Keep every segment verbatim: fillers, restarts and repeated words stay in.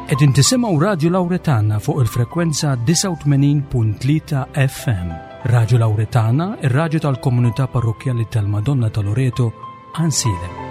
Qegħdin tisimgħu Radju Lawretana fuq il-frekwenza disgħa u tmenin punt tlieta F M. Radju Lawretana, ir-radju tal-komunità parrokkjali tal-Madonna ta' Loreto, Għajnsielem.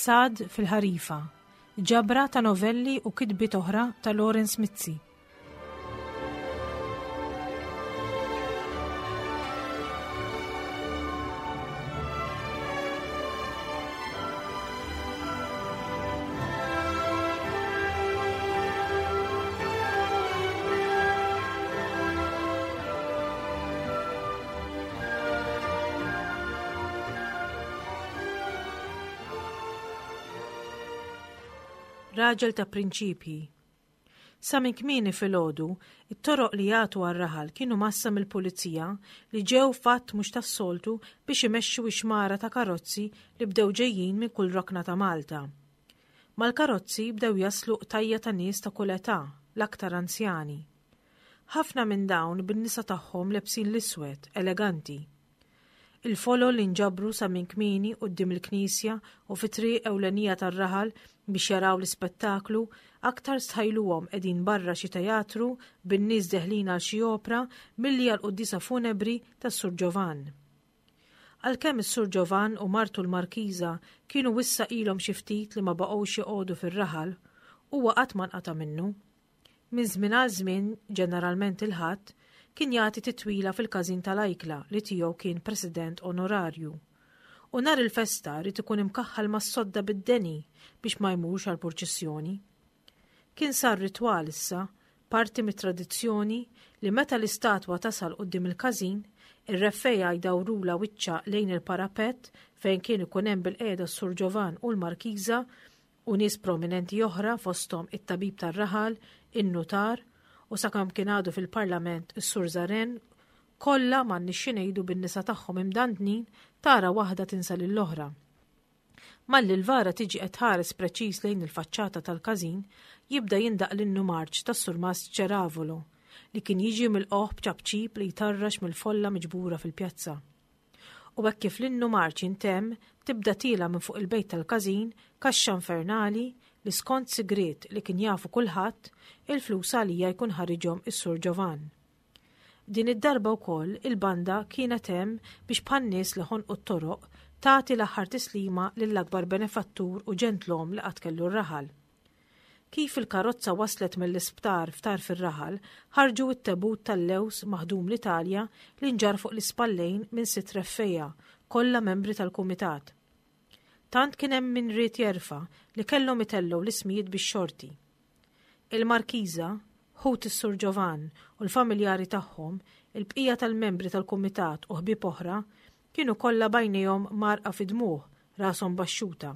Ħsad fil-ħarifa, ġabra ta' novelli u kitbiet oħra ta' Lawrence Mizzi. Raġel ta' prinċipji. Sa minn kmieni filgħodu, it-toroq li jagħtu għar-raħal kienu massa mill-pulizija li ġew fatt mhux tas-soltu biex imexxu ixmara ta' karozzi li bdew ġejjin minn kull rokna ta' Malta. Mal-karozzi bdew jaslu qtajja ta' nies ta' kull età, l-aktar anzjani. Ħafna minn dawn bin-nisa tagħhom lebsin l-iswed, eleganti. Il-folol li nġabru sa minn kmieni quddiem il-knisja u fi triq ewlenija tar-raħal biex jaraw l-ispettaklu, aktar stħajluhom qegħdin barra xi teatru bin-nies deħlin għal xi opra milli għal quddiesa funebri tas-Sur Ġovan. Għalkemm is-Sur Ġovan u martu l-Markiża kienu wissa ilhom xi ftit li ma baqgħux joqogħdu fir-raħal, huwa qatt ma nqata' minnu. Minn żmien għal żmien, ġeneralment il-Ħadd, kien jagħti titwila fil-każin tal-Ajkla li tiegħu kien president onorarju. U nhar il-festa rrid ikun imkaħħal mas-sodda bid-deni biex ma jmurx għall-purċissjoni. Kien sar ritwal issa, parti mit-tradizzjoni li meta l-istatwa tasal quddiem il-każin, ir-reffejja jdawrula wiċċa lejn il-parapett fejn kien ikun hemm bil-qiegħda s-Sur Ġovan u l-Markiża u nies prominenti oħra fosthom it-tabib tar-raħal, in-nutar, u sakemm kien għadu fil-Parlament is-Sur Zaren, kollha m'għandniex xi ngħidu bin-nisa tagħhom imdandnin tara waħda tinsa lill-oħra. Malli l-vara tiġi qed tħares preċiż lejn il-faċċata tal-każin, jibda jindaq l-innu marċ tas-Surmast Ċeravolo li kien jiġi mill-qoħ b'ċapċip li jtarrax mill-folla miġbura fil-pjazza. U hekk kif l-innu marċ intemm, tibda tila minn fuq il-bejt tal-każin kaxxa infernali li skont sigriet li kien jafu kulħadd, il-flus għalija jkun ħariġhom is-Sur Ġovan. Din id-darba wkoll il-banda kienet hemm biex bħan-nies li ħonqu t-toroq tagħti l-aħħar tislima lill-akbar benefattur u ġentlom li qatt kellu r-raħal. Kif il-karozza waslet mill-isptar ftar fir-raħal, ħarġu t-tebut tal-lews maħdum l-Italja li nġar fuq l-ispallejn minn sitt reffejja, kollha membri tal-kumitat. Tant kien hemm min ried jerfa' li kellhom itellgħu l-ismijiet bix-xorti. Il-Markiża, ħut is-Sur Ġovan u l-familjari tagħhom, il-bqija tal-membri tal-kumitat u ħbieb oħra, kienu kollha bajnejhom marqa fi dmuħ, rashom baxxuta.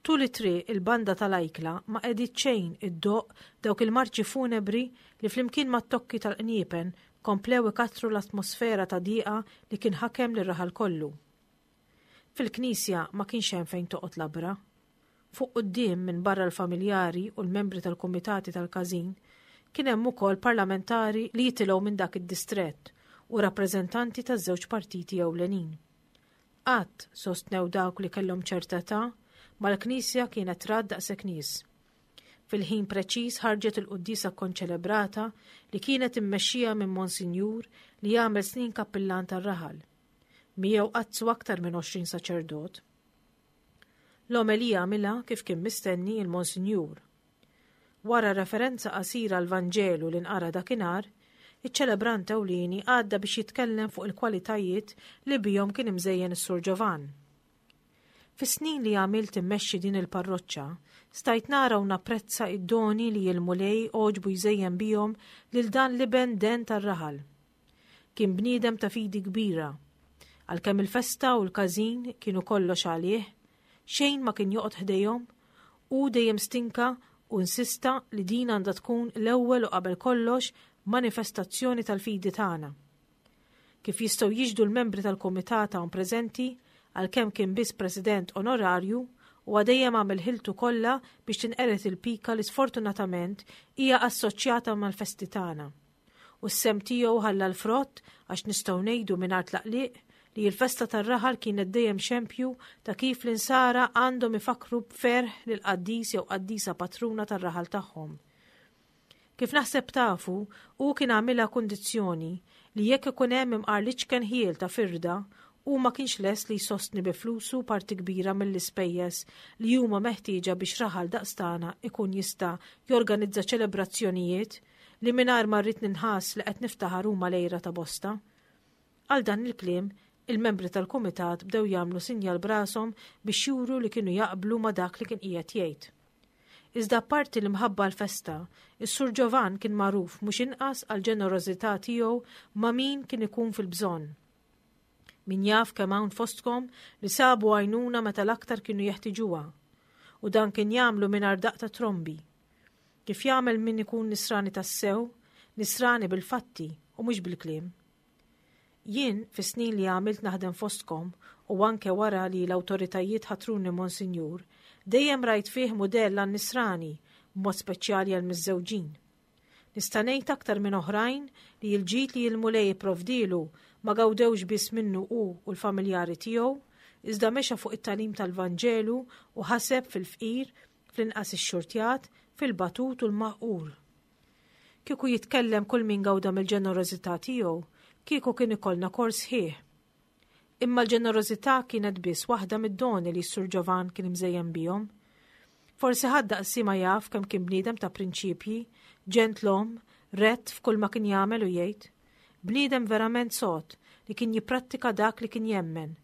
Tul it-triq il-banda tal-Ajkla ma qegħdit xejn iddoqq dawk il-marċi funebri li flimkien mat-tokki tal-qniepen komplew ikattru l-atmosfera ta' diqa li kien ħakem lir-raħal kollu. Fil-knisja ma kienx hemm fejn toqgħod labra. Fuq quddiem minn barra l-familjari u l-membri tal-kumitati tal-każin kien hemm ukoll parlamentari li jitilgħu minn dak id-distrett u rappreżentanti taż-żewġ partiti ewlenin. Qatt sostnew dawk li kellhom ċerta età mal-knisja kienet rad daqshekk nies. Fil-ħin preċiż ħarġet il-quddiesa konċelebrata li kienet immexxija minn Monsinjur li jagħmel snin kappillan tar-raħal. Miegħu qattsu aktar minn għoxrin saċerdot. L-omelija għamilha kif kien mistenni il-Monsinjur. Wara referenza qasira għal Vanġelu li nqara dakinhar, iċ-ċelebrant ewlieni għadda biex jitkellem fuq il-kwalitajiet li bihom kien imżejjen is-Sur Ġovan. Fis-snin li għamilt immexxi din il-parroċċa, stajt nara u napprezza id-doni li l-Mulej għoġbu jżejjen bihom lil dan l-iben den tar-raħal. Kien bniedem ta' fidi kbira. Għalkemm il-festa u l-każin kienu kollox għalih, xejn ma kien joqgħod ħdejhom, hu dejjem stinka u insista li din għandha tkun l-ewwel u qabel kollox manifestazzjoni tal-fidi tagħna. Kif jistgħu jixhdu l-membri tal-kumitat hawn preżenti, għalkemm kien biss president onorarju, huwa dejjem għamel ħiltu kollha biex tinqered il-pika li sfortunatament hija assoċjata mal-festi tagħna. U s-sehem tiegħu ħalla l-frott għax nistgħu ngħidu mingħajr tlaqliq li l-festa tar-raħal kienet dejjem xempju ta' kif l-insara għandhom ifakru b'ferħ lil qaddis jew qaddisa patruna tar-raħal tagħhom. Kif naħseb tafu, hu kien għamilha kundizzjoni li jekk ikun hemm imqar l-iċken ħjiel ta' firda, hu ma kienx lest li jsostni bi flusu parti kbira mill-ispejjeż li huma meħtieġa biex raħal daqs tagħna ikun jista' jorganizza ċelebrazzjonijiet li mingħajr ma rrid ninħass li qed niftaħar huma l-għira ta' bosta. Għal dan il-kliem, il-membri tal-kumitat bdew jagħmlu sinjal b'rashom biex juru li kienu jaqblu ma' dak li kien qiegħed jgħid. Iżda apparti l-imħabba l-festa, is-Sur Ġovan kien magħruf mhux inqas għal ġenerożità tiegħu ma' min kien ikun fil-bżonn. Min jaf kemm hawn fostkom li sabu għajnuna meta l-aktar kienu jeħtiġuha, u dan kien jagħmlu mingħajr daqq ta' trombi. Kif jagħmel min ikun nisrani tassew, nisrani bil-fatti u mhux bil-kliem. Jien, fis-snin li għamilt naħdem fostkom u anke wara li l-awtoritajiet ħatruni Monsinjur, dejjem rajt fih mudell għan-nisrani, b'mod speċjali għall-miżżewġin. Nista' ngħid aktar minn oħrajn li l-ġid li l-Mulej ipprovdielu ma gawdewx biss minnu hu u l-familjari tiegħu, iżda mexa fuq it-tagħlim tal-Vanġelu u ħaseb fil-fqir, fl-inqas ix-xurtjat, fil-batut u l-maħqur. Kieku jitkellem kull min gawda mill-ġenerożità tiegħu, kieku kien ikollna kors sħiħ. Imma l-ġenerożità kienet biss waħda mid-doni li s-Sur Ġovan kien imżejjen bihom. Forsi ħadd daqsi ma jaf kemm kien bniedem ta' prinċipji, ġentlom, rett f'kull ma kien jagħmel u jgħid. Bniedem verament sod li kien jipprattika dak li kien jemmen.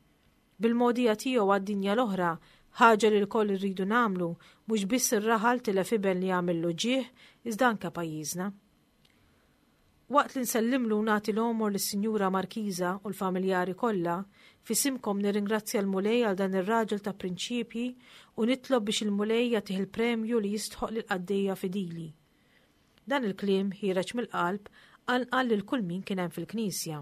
Bil-mogħdija tiegħu għad-dinja l-oħra, ħaġa li lkoll irridu nagħmlu, mhux biss ir-raħal tilef iben li għamillu ġieħ, iżda anke pajjiżna. Waqt li nsellimlu u nagħti l-għomor lis-Sinjura Markiża u l-familjari kollha, f'isimkom nirringrazzja l-Mulej għal dan ir-raġel ta' prinċipji u nitlob biex il-Mulej jagħtih il-premju li jistħoq lill-qaddejja fidili. Dan il-kliem ħiereġ mill-qalb qanqal lil kull min kien hemm fil-knisja.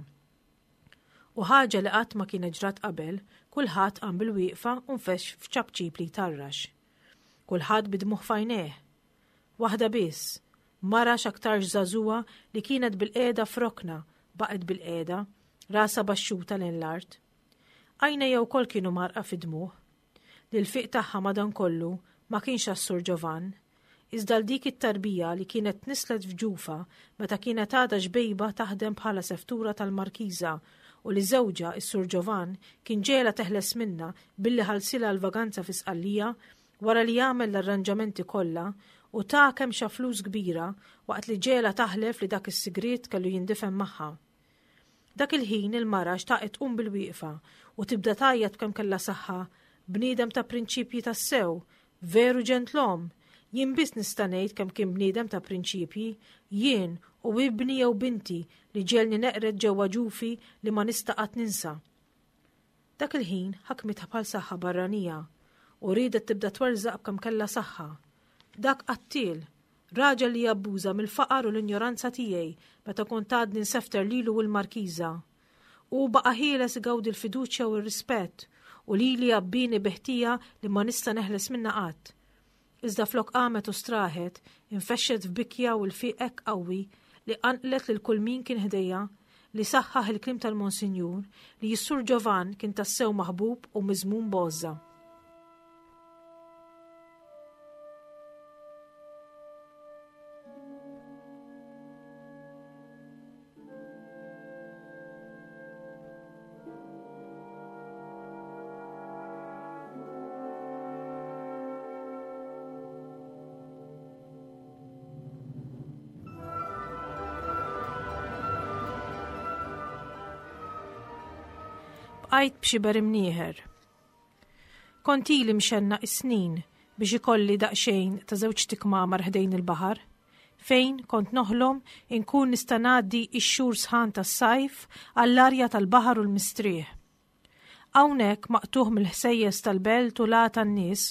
U ħaġa li qatt ma kienet ġrat qabel, kulħadd qam bil-wieqfa u nfexx f'ċapċip li jtarrax. Kulħadd bid-dmugħ f'għajnejh. Waħda biss, mara x'aktarx żagħżugħa li kienet bil-qiegħda f'rokna, baqgħet bil-qiegħda, rasha baxxuta lejn l-art. Għajnejha wkoll kienu mgħarrqa fid-dmugħ. L-ilfiq tagħha madankollu ma kienx għas-Sur Ġovan, iżda l dik it-tarbija li kienet tnisslet f'ġufha meta kienet għadha xbejba taħdem bħala seftura tal-Markiża u li żewġha is-Sur Ġovan kien ġegħelha teħles minnha billi ħallsilha l-vaganza fi Sqallija wara li għamel l-arranġamenti kollha u ta kemm xa flus kbira waqt li ġegħelha taħlef li dak is-sigriet kellu jindifen magħha. Dak il-ħin il-mara xtaqet tqum bil-wieqfa u tibda tgħajjat b'kemm kellha saħħa, bniedem ta' prinċipji tassew, veru ġentlom, jien biss nista' ngħid kemm kien bniedem ta' prinċipji, jien u ibni jew binti li ġegħelni neqred ġewwa ġufi li ma nista' qatt ninsa. Dak il-ħin ħakmitha bħal saħħa barranija u riedet tibda twerżaq b'kemm kellha saħħa. Dak qattiel, raġel li jabbuża mill-faqar u l-injoranza tiegħi meta kont għadni nsefter lilu u l-Markiża. U baqa' ħieles igawdi l-fiduċja u r-rispett u lili għabbini bi ħtija li ma nista' neħles minnha qatt. Iżda flok qamet u straħet, infexxet f'bikja u l-fiq hekk qawwi li qanqlet lil kull min kien ħdejha li saħħaħ il-kliem tal-Monsinjur li s-Sur Ġovan kien tassew maħbub u miżmum b'għożża. Bqajt b'xiber imnieħer. Kont ili mxennaq is-snin biex ikolli daqsxejn ta' żewġ tikmamar ħdejn il-baħar, fejn kont noħlom inkun nista' ngħaddi x-xhur sħan tas-sajf għall-arja tal-baħar u l-mistrieħ. Hawnhekk maqtugħ mill-ħsejjes tal-belt u l tan-nies,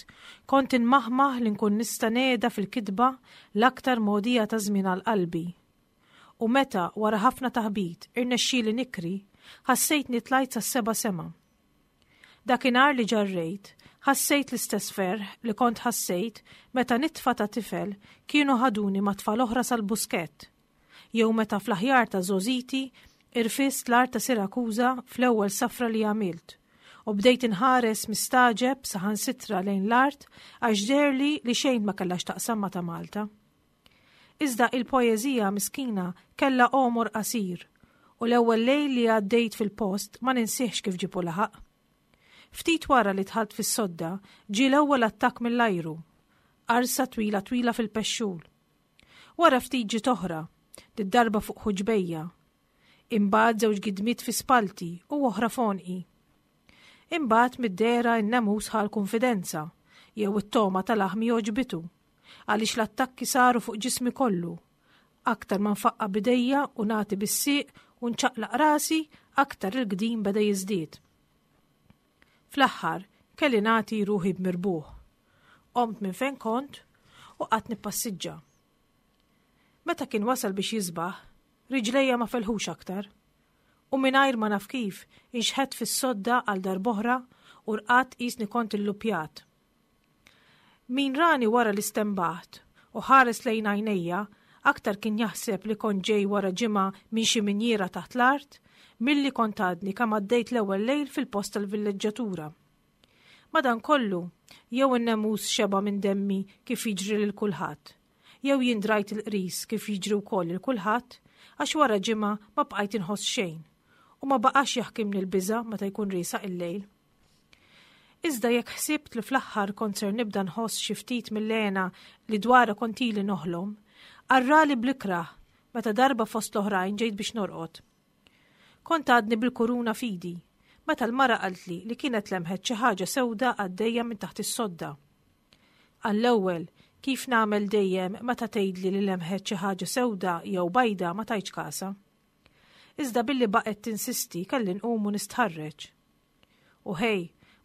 kont inmaħmaħ li nkun nista' ngħeda fil-kitba l-aktar mogħdija ta' żmien għal qalbi. U meta wara ħafna taħbit irnexxieli nikri, ħassejtni tlajt sas-seba' sema. Dakinhar li ġarrejt, ħassejt l-istess ferħ li kont ħassejt meta nitfa ta' tifel kienu ħaduni ma' tfal oħra sal-Buskett, jew meta fl-aħjar ta' żgħożiti irfist l-art ta' Sirakuża fl-ewwel safra li għamilt u bdejt inħares mistagħġeb saħansitra lejn l-art għax deherli li xejn ma kellha x'taqsam ma' ta' Malta. Iżda il-poeżija miskina kellha għomor qasir u l-ewwel lejl li għaddejt fil-post ma ninsihx kif ġibu laħaq. Ftit wara li dħalt fis-sodda ġie l-ewwel attakk mill-ajru, qarsa twila twila fil-pexxul. Wara ftit ġiet oħra, did-darba fuq ħuġbejja. Imbagħad żewġ gidmiet fi spalti u oħra f'għonqi. Imbagħad mid-dehra n-nemus ħa l-kunfidenza jew it-togħma ta' laħmi għoġbitu, għaliex l-attakki saru fuq ġismi kollu. Aktar ma nfaqqa' b'idejja u nagħti bis-sieq u nċaqlaq rasi, aktar il-gdim beda jiżdied. Fl-aħħar kelli nagħti ruħi b'mirbuħ. Qomt minn fejn kont u qgħadt nippassiġġa. Meta kien wasal biex jisbaħ, riġlejja ma felħux aktar. U mingħajr ma naf kif, inxħet fis-sodda għal darb'oħra u rqadt qisni kont illupjat. Min rani wara li stembaħt u ħares lejn għajnejja, aktar kien jaħseb li kont ġej wara ġimgħa minn xi minjiera taħt l-art, milli kont għadni kemm għaddejt l-ewwel lejl fil-post tal-villeġġatura. Madankollu, jew in-nemus xeba' minn demmi kif jiġri lil kulħadd, jew jien drajt il-qris kif jiġri wkoll lil kulħadd, għax wara ġimgħa ma bqajt inħoss xejn u ma baqax jaħkimni l-biża' meta jkun riesaq il-lejl. Iżda jekk ħsibt li fl-aħħar kont ser nibda nħoss xi ftit mill-hena li dwarha kont ili noħlom, arrali bl-ikrah meta darba fost l-oħrajn ġejt biex norqod. Kont għadni bil-kuruna f'idi, meta l-mara qaltli li kienet lemħet xi ħaġa sewda għaddejja minn taħt is-sodda. Għall-ewwel, kif nagħmel dejjem meta tgħidli li lemħet xi ħaġa sewda jew bajda ma tajtx kasha. Iżda billi baqgħet tinsisti kelli nqum u nistħarreġ. U ħej,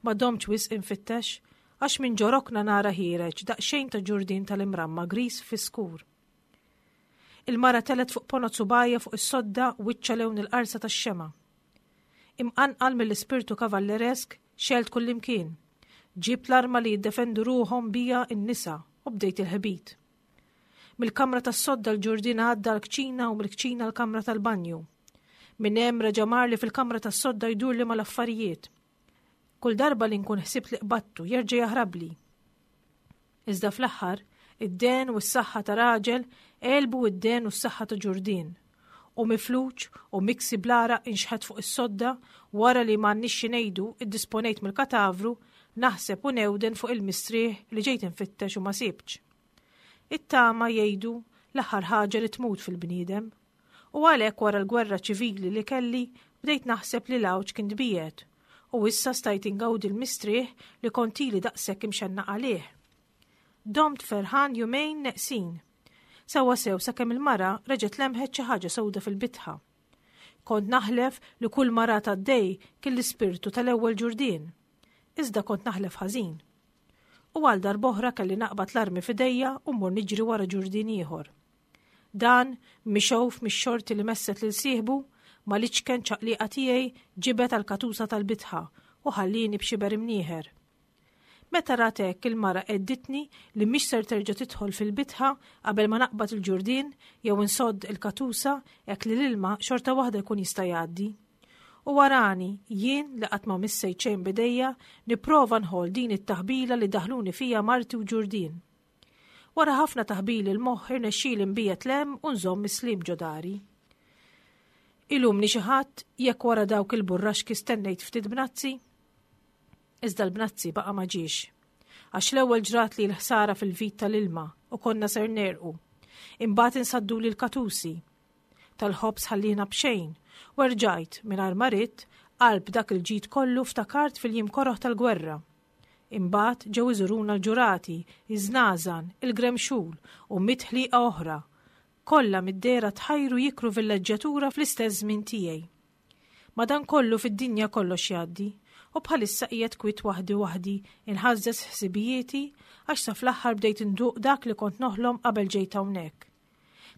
ma domtx wisq infittex, għax minn ġo rokna nara ħiereġ daqsxejn ta' ġurdien tal-imramma gris fiskur. Il-mara telgħet fuq ponot subgħajha fuq is-sodda wiċċha lewn il-qarsa tax-xemgħa. Imqanqal mill-ispirtu kavalleresk xgħelt kullimkien. Ġibt l-arma li jiddefendu ruħhom bija n-nisa u bdejt il-ħbit. Mill-kamra tas-sodda l-ġurdien għadda l-kċina u mill-kċina l-kamra tal-banju. Minn hemm reġa' marli fil-kamra tas-sodda jdurli mal-affarijiet. Kull darba li nkun ħsibt li qbattu jerġa' jaħrabli. Iżda fl-aħħar, id-dehen u s-saħħa ta' raġel għelbu id-dehen u s-saħħa ta' ġurdien. U mifluġ u miksi bl-għaraq inxħet fuq is-sodda wara li m'għandniex xi ngħidu iddisponejt mill-katavru, naħseb u newden fuq il-mistrieħ li ġejt infittex u ma sibtx. It-tama jgħidu l-aħħar ħaġa li tmut fil-bniedem. U għalhekk wara l-gwerra ċivili li kelli bdejt naħseb li l-għawġ kien tbiegħed u issa stajt ingawdi l-mistrieħ li kont ili daqshekk imxennaq għalih. Domt ferħan jumejn neqsin. Sewwa sew sakemm il-mara reġgħet lemħet xi ħaġa sewda fil-bitħa. Kont naħlef li kull mara għaddej kien l-ispirtu tal-ewwel ġurdien. Iżda kont naħlef ħażin. U għal darb'oħra kelli naqbad l-armi f'idejja u mmur niġri wara ġurdien ieħor. Dan, mixgħuf mix-xorti li messet lil sieħbu, mal-iċken ċaqliqa tiegħi ġibed għall-katusa tal-bitħa u ħallini b'xiber imnieħer. Meta rat hekk il-mara għedditni li mhix ser terġa' tidħol fil-bitħa qabel ma naqbad il-ġurdien jew insodd il-katusa hekk li l-ilma xorta waħda jkun jista' jgħaddi. U warani, jien li qatt ma missejt xejn b'idejja, nipprova nħoll din it-taħbila li daħluni fija marti u ġurdien. Wara ħafna taħbil il-moħħ irnexxieli nbiegħed 'l hemm u nżomm is-sliem ġo dari. Ilumni xi ħadd jekk wara dawk il-burraxki stennejt ftit bnazzi? Iżda l-bnazzi baqa' ma ġiex. Għax l-ewwel ġrat li l-ħsara fil-vit tal-ilma u konna ser negħrqu. Imbagħad insadduli l-katusi. Tal-ħobż ħallina b'xejn u rġajt mingħajr ma ridt qalb dak il-ġid kollu ftakart fil-jiem koroh tal-gwerra. Imbagħad ġew iżuruna l-ġurati, iż-żnażan, il-gremxul u mitt ħliqa oħra. Kollha mid-dehra tħajru jikru villeġġjatura fl-istess żmien tiegħi. Madankollu fid-dinja kollox jgħaddi U bħalissa qiegħed kwit waħdi waħdi inħażżeż ħsibijieti għax sa fl-aħħar bdejt induq dak li kont noħlom qabel ġejt hawnhekk.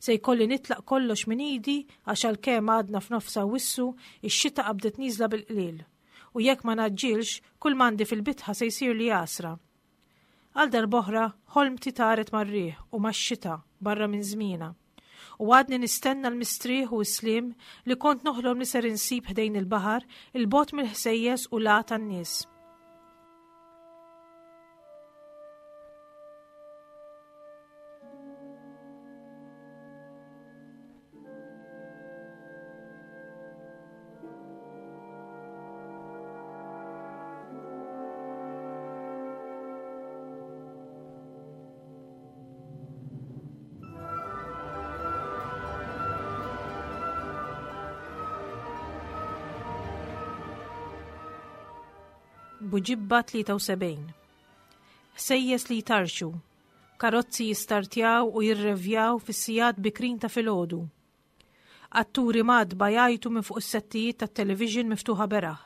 Se jkolli nitlaq kollox minn idi għax għalkemm għadna f'nofs Awwissu, ix-xita qabdet nieżla bil-qliel. U jekk ma naġġilx, kull m'għandi fil-bitħa se jsir li għasra. Għal darb'oħra, ħolmti taret mar-riħ u max-xita barra minn żmienha. U għadni nistenna l-mistrieħ u s-sliem li kont noħlom li ser insib ħdejn il-baħar, il-bogħod mill-ħsejjes u l tan-nies. Buġibba tlieta u sebgħin. Ħsejjes li jtarxu, karozzi jistartjaw u jirrevjaw fis-sigħat bikrin ta' filgħodu. Atturi madba jgħajtu minn fuq is-settijiet tat-television miftuħa beraħ.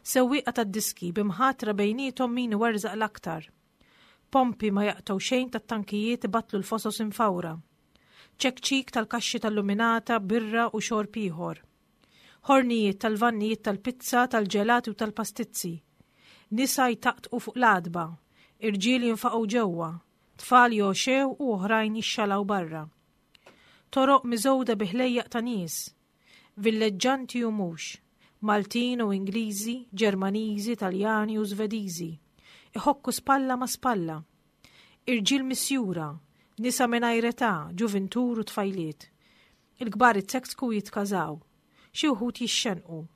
Sewwieqa tad-diski bimħatra bejniethom min iwerżaq l-aktar. Pompi ma jaqtgħu xejn tat-tankijiet ibattlu l-fosos infawra. Ċekċik tal-kaxxi tal-luminata, birra u xorb ieħor. Ħornijiet tal-vannijiet tal-pizza, tal-ġelati u tal-pastizzi. Nisa jtaqtqu fuq l-għatba, irġiel jinfaqgħu ġewwa, tfal joxew u oħrajn jixxalaw barra. Toroq miżgħuda bi ħlejjaq ta' nies, villeġġanti u mhux, Maltin u Ingliżi, Ġermaniżi, Taljani u Svediżi, iħokku spalla ma' spalla. Irġiel misjura, nisa mingħajr età, ġuvintur u tfajliet. Il-kbar itseksku jitkażaw, xi wħud jixxenqu.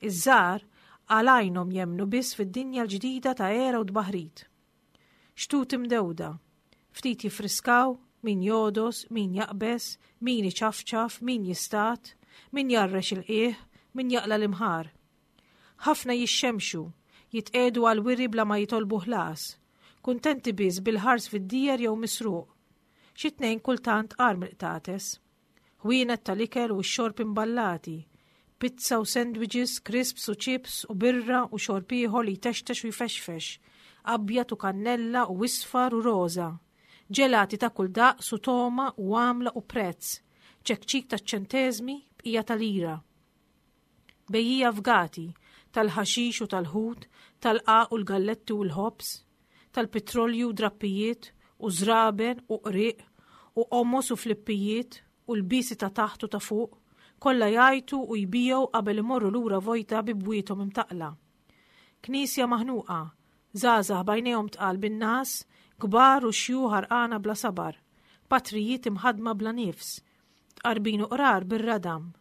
Iż-żgħar għal għajnhom jemmnu biss fid-dinja l-ġdida ta' era u tbaħrid. Xtut imdewda, ftit jifriskaw, min jodos, min jaqbes, min iċafċaf, min jistat, min jarrex il-qiegħ, min jaqla l-imħar. Ħafna jixxemxu, jitqedu għal wiri bla ma jitolbu ħlas, kuntenti biss bil-ħars fid-dijer jew misruq. Xi tnejn kultant qar mill-qtates. Ħwienet tal-ikel u x-xorb imballati, pizza u sandwiches, crisps u chips u birra u xorb ieħor li jtextex u jfexfex, abjad u kannella u isfar u roża, ġelati ta' kull daqs u toma u għamla u prezz, ċekċik ta' ċenteżmi bqija tal-ira. Bejjija fgati, tal-ħaxix u tal-ħut, tal-qaq u l-galletti u l-ħobż, tal-petrolju u drappijiet u żraben u qriq u qomos u flippijiet u l-bisi ta' taħt u ta' fuq, kollha jgħajtu u jbijew qabel imorru lura vojta bi bwiethom imtaqla. Knisja maħnuqa, żgħażagħ b'għajnejhom tqal bin-nas, kbar u xjuħ għarqana bla sabar, patrijiet imħadma bla nifs, tqarbin u qrar bir-radam.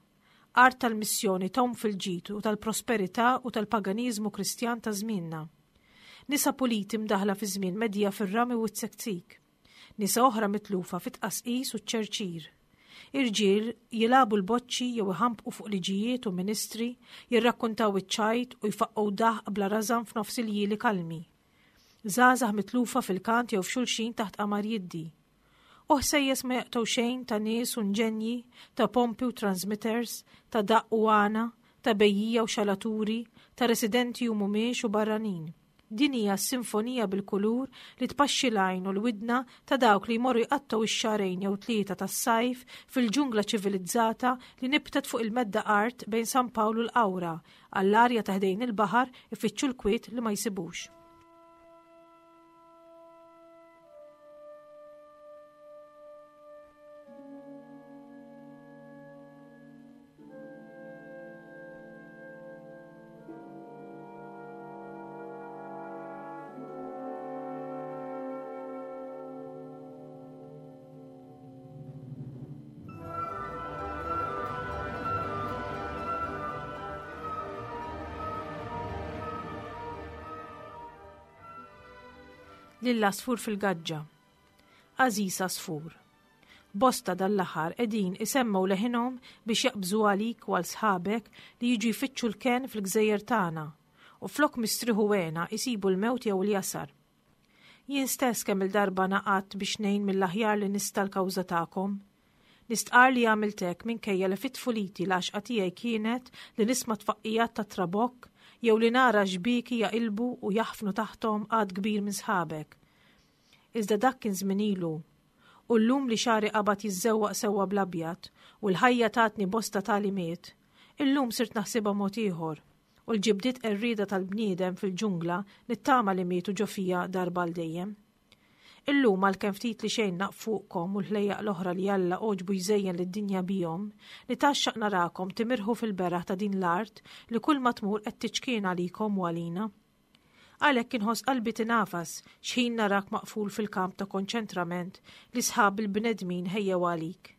Art tal-missjoni tom fil-ġid u tal-prosperità u tal-paganiżmu Kristjan ta' żmienna. Nisa puliti mdaħla fi żmien medja fir-rami u t-sektik. Nisa oħra mitlufa fit-tqasqis u ċ-ċerċir. Irġiel jilagħbu l-boċċi jew iħampqu fuq liġijiet u ministri, jirrakkuntaw iċ-ċajt u jfaqqgħu daħq bla rażan f'nofs il-jili kalmi. Żgħażagħ mitlufa fil-kant jew f'xulxin taħt qamar jiddi. U ħsejjes ma jaqtgħu xejn ta' nies u nġenji, ta' pompi u transmitters, ta' daqq u għana, ta' bejjija u xalaturi, ta' residenti u mhumiex u barranin. Din hija s-sinfonija bil-kulur li tpaxxi l-għajn u l-widna ta' dawk li jmorru jqattgħu ix-xahrejn jew tlieta tas-sajf fil-ġungla ċivilizzata li nibtet fuq il-medda art bejn San Pawl u l-Qawra, għall-arja ta' ħdejn il-baħar ifittxu l-kwiet li ma jsibux. Lill-għasfur fil-gaġġa. Għażiż għasfur. Bosta dal-aħħar qegħdin isemmgħu leħinhom biex jaqbżu għalik u għal sħabek li jiġu jfittxu l-kenn fil-gżejjer tagħna u flok mistrieħu għena jsibu l-mewt jew l-jasar. Jien stess kemm il-darba naqgħadt biex ngħin mill-aħjar li nista' l-kawża tagħkom. Nistqar li għamilt hekk minkejja li fit-tfuliti l-għaxqa tiegħi kienet li nisma' tfaqqijat ta' trabokk jew li nara xbieki jaqilbu u jaħfnu taħthom għadd kbir minn sħabek. Iżda dak kien żmien ilu, u llum li xagħri qabad jiżżewwaq sewwa bl-abjad u l-ħajja tatni bosta tagħlimiet, illum sirt naħsibha mod ieħor, u l-ġibdiet qerrieda tal-bniedem fil-ġungla nittama li mietu ġo fija darba għal dejjem. Illum għalkemm ftit li xejn naf fuqkom u l-ħlejjaq l-oħra li Alla għoġbu jżejjen lid-dinja bihom, nitgħaxxaq narakom timirħu fil-beraħ ta' din l-art li kull ma tmur qed tiċkien għalikom u għalina. Għalhekk inħoss qalbi tingħafas x'ħin narak maqful fil-kamp ta' konċentrament li sħab il-bnedmin ħejjew għalik.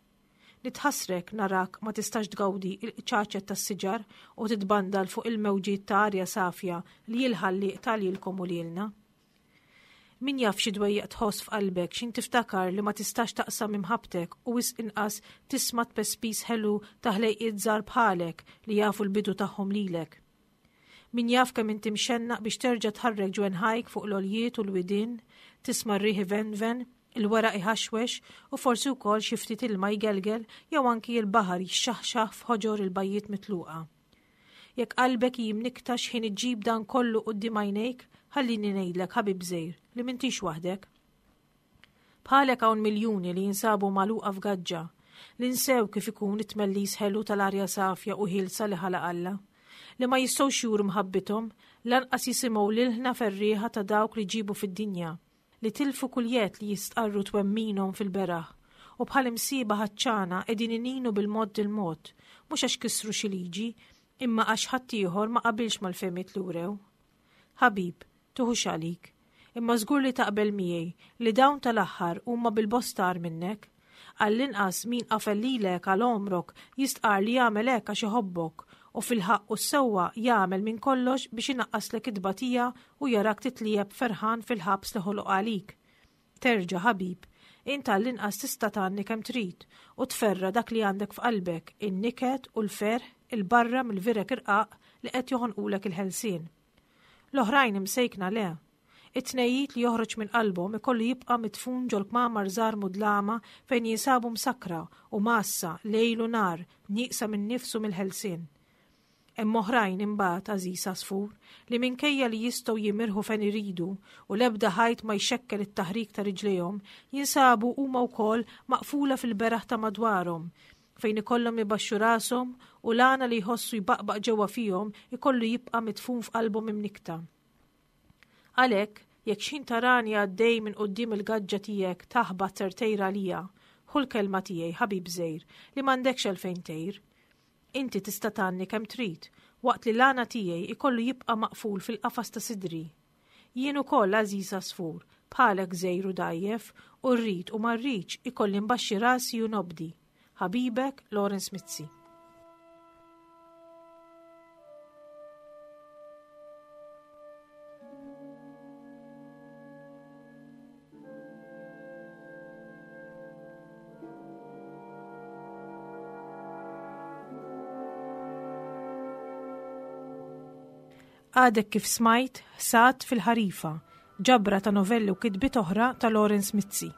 Nitħassrek narak ma tistax tgawdi il-qċaċet tas-siġar u titbandal fuq il-mewġiet ta' arja safja li l-Ħallieq ta lilkom u lilna. Min jaf xi dwejjaq tħoss f'qalbek x'ħin tiftakar li ma tistax taqsam imħabbtek u wisq inqas tisma' tpespis ħelu ta' ħlejqiet żgħar bħalek li jafu l-bidu tagħhom lilek. Min jaf kemm inti mxennaq biex terġa' tħarrek ġwenħajk fuq l-għoljiet u l-widien, tisma' r-riħ ivenven, il-weraq iħaxwex u forsi wkoll xi ftit ilma jgelgel jew anki l-baħar jixxaħxaħ f'ħoġor il-bajjiet mitluqa. Jekk qalbek hi mnikkta x'ħin iġġib dan kollu quddiem għajnejk, ħallini ngħidlek, ħabib żgħir, li m'intix waħdek. Bħalek hawn miljuni li jinsabu magħluqa f'gaġġa, li nsew kif ikun it-tmellis ħelu tal-arja safja u ħielsa li ħalaq Alla, li ma jistgħux juru mħabbithom, lanqas jisimgħu l-ilħna ferrieħa ta' dawk li ġibu fid-dinja, li tilfu kull jedd li jistqarru twemminhom fil-beraħ, u bħal imsiba ħaċċana qegħdin ininu bil-mod il-mod, mhux għax kisru xi liġi, imma għax ħaddieħor ma qabilx mal-fehmiet li wrew. Ħabib, tuħux għalik, imma żgur li taqbel miegħi li dawn tal-aħħar huma bil-bosta agħar minnek. Għall-inqas min qafel lilek għal għomrok jistqar li jagħmel hekk għax iħobbok u fil-ħaqq u s-sewwa jagħmel minn kollox biex inaqqaslek it-tbatija u jarak titlieb ferħan fil-ħabs li ħoloq għalik. Terġa' ħabib, int għall-inqas tista' tgħanni kemm trid u tferra dak li għandek f'qalbek, in-niket u l-ferħ il-barra mill-virek irqaq li qed joħonqulek il-ħelsien. L-oħrajn imsejkna le. It-tnejjid li joħroġ minn qalbhom ikollu jibqa' mitfun ġol-kmamar żgħar mudlama fejn jinsabu msakkra u massa lejl u nar nieqsa minn nifsu mill-ħelsien. Hemm oħrajn imbagħad, għażiż għasfur, li minkejja li jistgħu jimirħu fejn iridu u l-ebda ħajt ma jxekkel it-taħrik ta' riġlejhom, jinsabu huma wkoll maqfula fil-beraħ ta' madwarhom, fejn ikollhom ibaxxu rashom u l-għana li jħossu jbaqbaq ġewwa fihom ikollu jibqa' mitfun f'qalbhom imnikta. Għalhekk, jekk x'ħin tarani għaddej minn quddiem il-gaġġa tiegħek taħbat ser tgħir għalija, ħu l-kelma tiegħi, ħabib żgħir, li m'għandekx għalfejn tgħir. Inti tista' tgħanni kemm trid, waqt li l-għana tiegħi ikollu jibqa' maqful fil-qafas ta' sidri. Jien ukoll, għażiż għasfur, bħalek żgħir u dgħajjef, u rrid u ma rridx ikolli nbaxxi rasi u nobdi. Ħabibek, Lawrence Mizzi. Għadek kif smajt Ħsad fil-Ħarifa, ġabra ta' novelli u kitbiet oħra ta' Lawrence Mizzi.